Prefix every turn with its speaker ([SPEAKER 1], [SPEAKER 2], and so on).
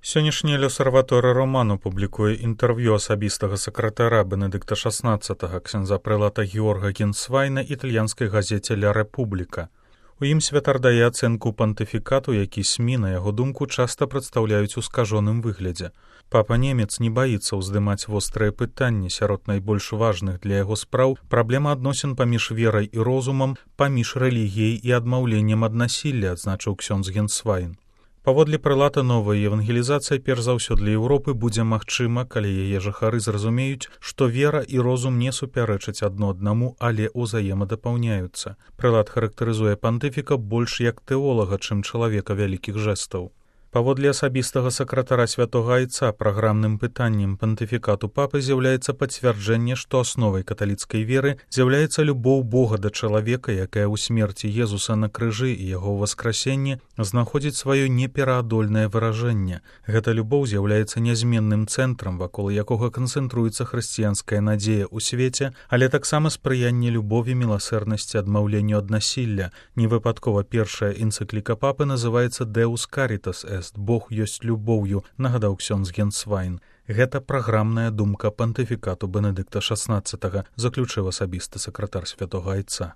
[SPEAKER 1] Сённяшні L'Osservatore Romano публікуе інтэрв'ю асабістага сакратара Бенедыкта XVI, ксяндза прэлата Георга Генсвайна італьянскай газеце «Ля Републіка». У ім святар дае ацэнку пантыфікату, які СМІ, на яго думку, часта прадстаўляюць у скажоным выглядзе. Папа немец не баіцца ўздымаць вострыя пытанні, сярод найбольш важных для яго спраў праблема адносін паміж верай і розумам, паміж рэлігіяй і адмаўленнем ад насілля, адзначыў ксёндз Генсвайн. Паводле прэлата, новая евангелізацыя перш за ўсё для Еўропы будзе магчыма, калі яе жыхары зразумеюць, што вера і розум не супярэчаць адно аднаму, але ўзаемадапаўняюцца. Прэлат характарызуе пантыфіка больш як тэолага, чым чалавека вялікіх жэстаў. Паводле асабістага сакратара святога айца, праграмным пытаннем пантыфікату папы з'яўляецца пацвярджэнне, што асновай каталіцкай веры з'яўляецца любоў Бога да чалавека, якая ў смерці Езуса на крыжы і яго ўваскрасенні знаходзіць сваё непераадольнае выражэнне. Гэта любоў з'яўляецца нязменным цэнтрам, вакол якога канцэнтруецца хрысціянская надзея ў свеце, але таксама спрыянне любові, міласэрнасці, адмаўленню ад насілля. Невыпадкова першая энцыкліка папы называецца «Deus Caritas Est» – «Бог ёсць любоўю», нагадаў ксёндз Генсвайн. Гэта праграмная думка пантыфікату Бенедыкта XVI, заключыў асабісты сакратар святога айца.